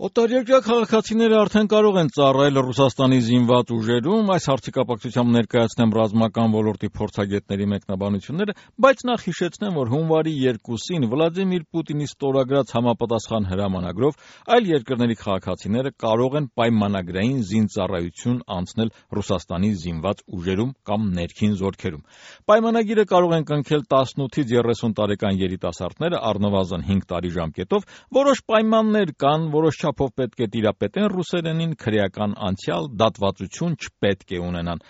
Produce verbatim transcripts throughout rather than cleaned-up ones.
Օտարերկրյա քաղաքացիները արդեն կարող են ծառայել Ռուսաստանի զինված ուժերում, այս հարցի կապակցությամբ ներկայացնեմ ռազմական ոլորտի փորձագետների մեկնաբանությունները, բայց նախ հիշեցնեմ, որ հունվարի երկուսին Վլադիմիր Պուտինի ստորագրած համապատասխան հրամանագրով այլ երկրների քաղաքացիները կարող են պայմանագրային զինծառայություն անցնել Ռուսաստանի զինված ուժերում կամ ներքին զորքերում։ Պայմանագիրը կարող են կնքել տասնութից երեսուն տարեկան երիտասարդները առնվազն հինգ տարի ժամկետով, որոշ պայմաններ կան, որոշ չափով պետք է տիրապետեն ռուսերենին, քրեական անցյալ, դատվածություն չպետք է ունենան։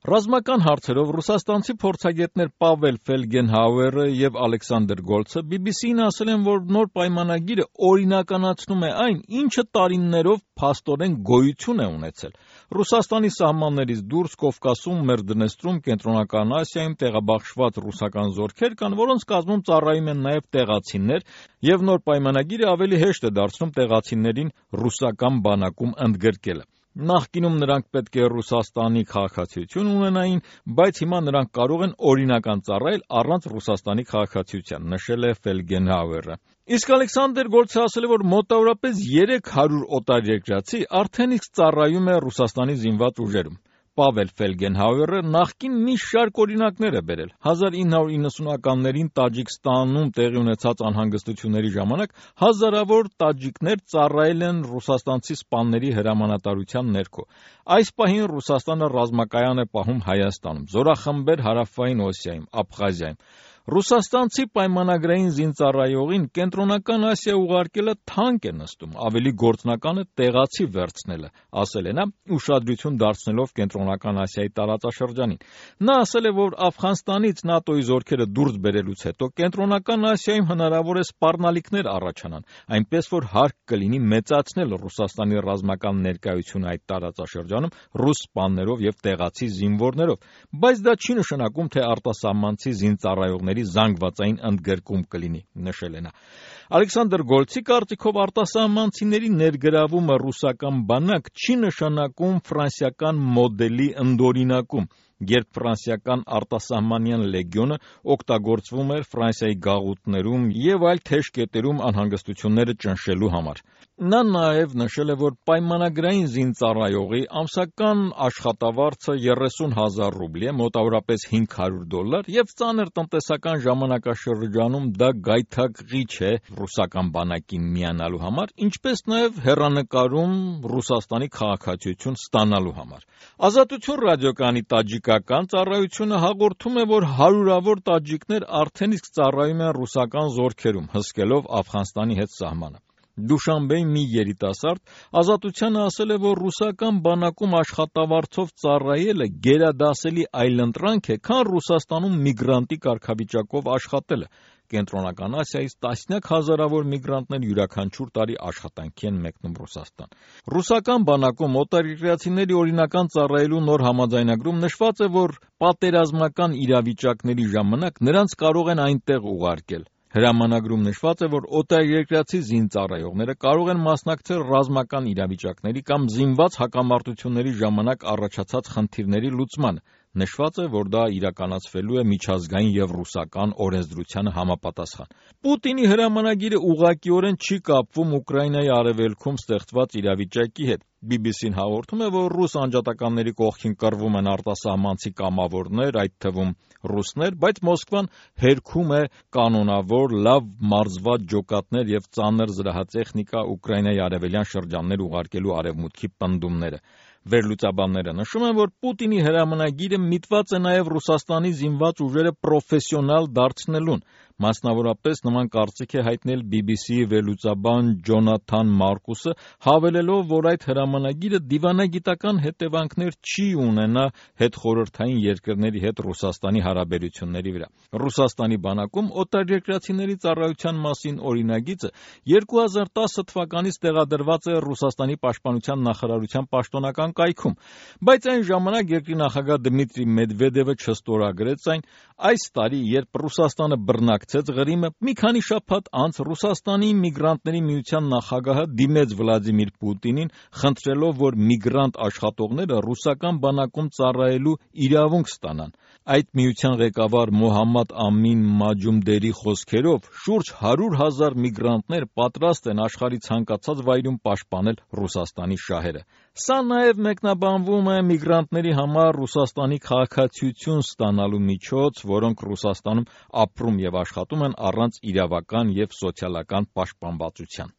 Ռազմական հարցերով ռուսաստանցի փորձագետներ Պավել Ֆելգենհաուերը եւ Ալեքսանդր Գոլցը բի բի սի-ին ասել են, որ նոր պայմանագիրը օրինականացնում է այն, ինչը տարիներով փաստորեն գոյություն է ունեցել։ Ռուսաստանի սահմաններից դուրս Կովկասում, Մերդնեստրում, Կենտրոնական Ասիայում տեղաբաշխված ռուսական զորքեր կան, որոնց կազմում ծառայում են նաև տեղացիներ, եւ նոր պայմանագիրը ավելի հեշտ է դարձնում տեղացիներին ռուսական բանակում ընդգրկելը։ Նախկինում նրանք պետք է Ռուսաստանի քաղաքացիություն ունենային, բայց հիմա նրանք կարող են օրինական ծառայել առանց Ռուսաստանի քաղաքացիության, նշել է Ֆելգենհաուերը։ Իսկ Ալեքսանդր Գոլցը ասել է, որ մոտավորապես երեք հարյուր օտարերկրացի արդեն իսկ ծառայում է Ռուսաստանի զինված ուժերում։ Պավել Ֆելգենհաուերը նախկին մի շարք օրինակներ է բերել։ հազար ինը հարյուր իննսունականներին Տաջիկստանում տեղի ունեցած անհանգստությունների ժամանակ հազարավոր տաջիկներ ծառայել են ռուսաստանցի սպաների հրամանատարության ներքո։ Այս պահին Ռուսաստանը ռազմակայան է պահում Հայաստանում, զորախմբեր Հարավային Օսիայում, Աբխազիայում։ Ռուսաստանցի պայմանագրային զինծառայողին Կենտրոնական Ասիա ուղարկելը թանկ է նստում, ավելի գործնական է տեղացի վերցնելը, ասել է նա, ուշադրություն դարձնելով Կենտրոնական Ասիայի տարածաշրջանին։ Նա ասել է, որ Աֆղանստանից ՆԱՏՕ-ի զորքերը դուրս բերելուց հետո Կենտրոնական Ասիայում հնարավոր է սպառնալիքներ առաջանան, այնպես որ հարկ կլինի մեծացնել Ռուսաստանի ռազմական ներկայությունը այդ տարածաշրջանում ռուս սպաներով եւ տեղացի զինվորներով, բայց դա չի նշանակում, թե արտասահմանցի զինծառայողների զանգվածային ընդգրկում կլինի, նշել է նա։ Ալեքսանդր Գոլցի կարծիքով արտասահմանցիների ներգրավումը ռուսական բանակ չի նշանակում ֆրանսիական մոդելի ընդօրինակում, երբ ֆրանսիական արտասահմանյան լեգիոնը օգտագործվում էր Ֆրանսիայի գաղութներում եւ այլ թեժ կետերում անհանգստությունները ճնշելու համար։ Նա նաեւ նշել է, որ պայմանագրային զինծառայողի ամսական աշխատավարձը երեսուն հազար ռուբլի է, մոտավորապես հինգ հարյուր դոլար, եւ ծանր տնտեսական ժամանակաշրջանում դա գայթակղիչ է ռուսական բանակին միանալու համար, ինչպես նաեւ հեռանկարում Ռուսաստանի քաղաքացիություն ստանալու համար։ Ազատություն ռադիոկայանի տաջիկական ծառայությունը հաղորդում է, որ հարյուրավոր տաջիկներ արդեն իսկ ծառայում են ռուսական զորքերում, հսկելով Աֆղանստանի հետ սահմանը։ Դուշանբեի մի երիտասարդ Ազատությանը ասել է, որ ռուսական բանակում աշխատավարձով ծառայելը գերադասելի այլընտրանք է, քան Ռուսաստանում միգրանտի կարգավիճակով աշխատելը։ Կենտրոնական Ասիայից տասնյակ հազարավոր միգրանտներ յուրաքանչյուր տարի աշխատանքի են մեկնում Ռուսաստան։ Ռուսական բանակում օտարերկրացիների օրինական ծառայելու նոր համաձայնագրում նշված է, որ պատերազմական իրավիճակների ժամանակ նրանց կարող են այնտեղ ուղարկել։ Հրամանագրում նշված է, որ օտարերկրացի զինծառայողները կարող են մասնակցել ռազմական իրավիճակների կամ զինված հակամարտությունների ժամանակ առաջացած խնդիրների լուծմանը։ Նշված է, որ դա իրականացվելու է միջազգային եւ ռուսական օրենսդրությանը համապատասխան։ Պուտինի հրամանագիրը ուղղակիորեն չի կապվում Ուկրաինայի արևելքում ստեղծված իրավիճակի հետ։ բի բի սի-ն հաղորդում է, որ ռուս անջատականների կողքին կռվում են արտասահմանցի կամավորներ, այդ թվում ռուսներ, բայց Մոսկվան հերքում է կանոնավոր, լավ մարզված ջոկատներ եւ ծանր զրահատեխնիկա Ուկրաինայի արևելյան շրջաններ ուղարկելու արևմուտքի պնդումները։ Վերլուծաբանները նշում են, որ Պուտինի հրամանագիրը միտված է նաև Ռուսաստանի զինված ուժերը պրոֆեսիոնալ դարձնելուն։ Մասնավորապես նման կարծիք է հայտնել բի բի սի-ի վերլուծաբան Ջոնաթան Մարկուսը, հավելելով, որ այդ հրամանագիրը դիվանագիտական հետևանքներ չի ունենա հետխորհրդային երկրների հետ Ռուսաստանի հարաբերությունների վրա։ Ռուսաստանի բանակում օտարերկրացիների ծառայության մասին օրինագիծը երկու հազար տասը թվականից տեղադրված է Ռուսաստանի պաշտպանության նախարարության պաշտոնական կայքում, բայց այն ժամանակ երկրի նախագահ Դմիտրի Մեդվեդևը չստորագրեց այն։ Այս տարի, երբ Ռուսաստանը բռնակ բնակցեց Ղրիմը, մի քանի շաբաթ անց Ռուսաստանի միգրանտների միության նախագահը դիմեց Վլադիմիր Պուտինին, խնդրելով, որ միգրանտ աշխատողները ռուսական բանակում ծառայելու իրավունք ստանան։ Այդ միության ղեկավար Մոհամմադ Ամին Մաջումդերի խոսքերով, շուրջ հարյուր հազար միգրանտներ պատրաստ են աշխարհի ցանկացած վայրում պաշտպանել Ռուսաստանի շահերը։ Սա նաև մեկնաբանվում է միգրանտների համար Ռուսաստանի քաղաքացիություն ստանալու միջոց, որոնք Ռուսաստանում ապրում և աշխատում են առանց իրավական և սոցիալական պաշտպանվածության։